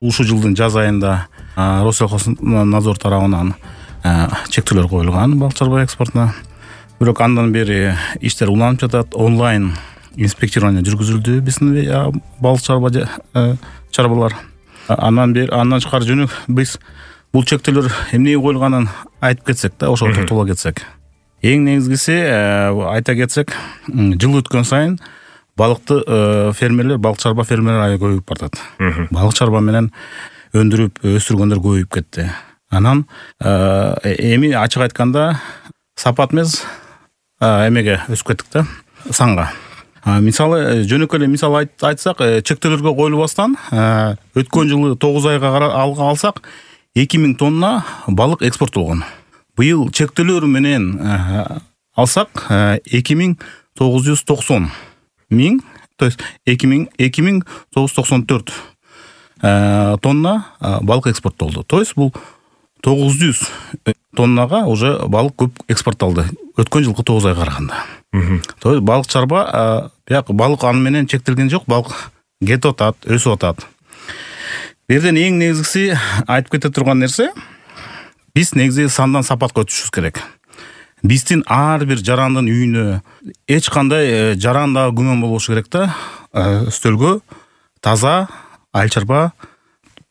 ушул жылдын жаз айында Россельхознадзор тарабынан чектөөлөр коюлган балык чарба экспортуна. Бирок андан бери иштер уланып жатат. Онлайн инспектирование жүргүзүлдү биздин балык чарбалар. Андан тышкары жөнү биз бул чектөөлөр эмнеге коюлганын айтып кетсек да, ошого токтоло кетсек. Эң негизгиси айта кетсек, жыл өткөн сайын балык чарба фермерлери көбөйүп бартат. Балык чарба менен өндүрүп өстүргөндөр көбөйүп кетти. Анан эми ачык айтканда сапат эмес эмеге өсүп кеттик да, санга. Мисалы жөнөкөй эле мисал айтсак, чектөөлөргө коюлбастан өткөн жылы 9 айга алсак 2000 тонна балык экспорттолгон. Быйыл чектөөлөр менен алсак 2990 миң, то есть 2994 тонна балык экспорттолду. То есть бул 900 тоннага уже балык көп экспортталды өткөн жылкы 9 айга караганда. То есть балык чарба, балык аны менен чектелген жок, балык кетип атат, өсүп атат. Берден эң негизгиси айтып кете турган нерсе, биз негизи сандан сапатка өтүшүбүз керек. Биздин ар бир жарандын үйүнө эч кандай жарандагы күмөн болбошу керек да, стөлгө таза айыл чарба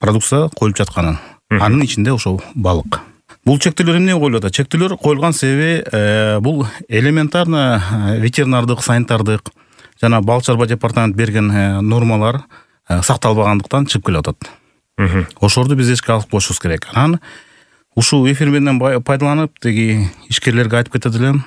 продукция коюлуп жатканын. Анын ичинде ошол балык. Бул чектөөлөр эмне коюлуп атат? Чектөөлөр коюлган себеби бул элементарно ветеринардык, санитардык жана балык чарба департамент берген нормалар сакталбагандыктан чыгып келип атат. Ошолорду биз эске алып коюшубуз керек. Анан ушул эфир менен пайдаланып, теги ишкерлерге айтып кетет элем.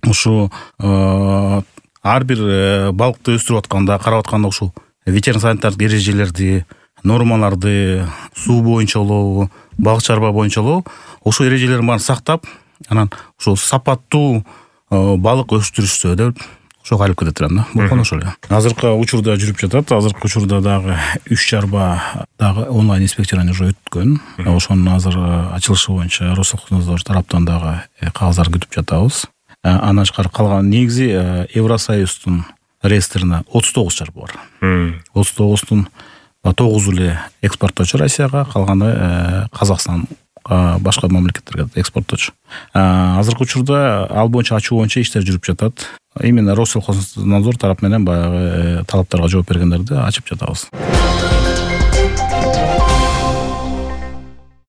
Ушу ар бир балыкты өстүрүп атканда, карап атканда ушул ветеринар-санитардык эрежелерди, нормаларды, суу боюнча болобу, балык чарба боюнча болобу, ошол эрежелердин баарын сактап, анан ошол сапаттуу балык өстүрүшсө деп ошого кайрылып кетет элем да. Болгону ошол эле. Азыркы учурда жүрүп жатат. Азыркы учурда дагы 3 чарба дагы онлайн инспекциядан уже өткөн. Ошонун азыр ачылышы боюнча Россельхознадзор тараптан дагы кагаздар күтүп жатабыз. Андан тышкары калган негизи Евросоюздун реестрине 39 чарба бар. 39-тун 9 эле экспорттоочу Россияга, калганы Казакстан, башка мамлекеттерге экспорттоочу. Азыркы учурда ал боюнча ачуу боюнча иштер жүрүп жатат. Именно Россельхознадзор тарап менен баягы талаптарга жооп бергендерди ачып жатабыз.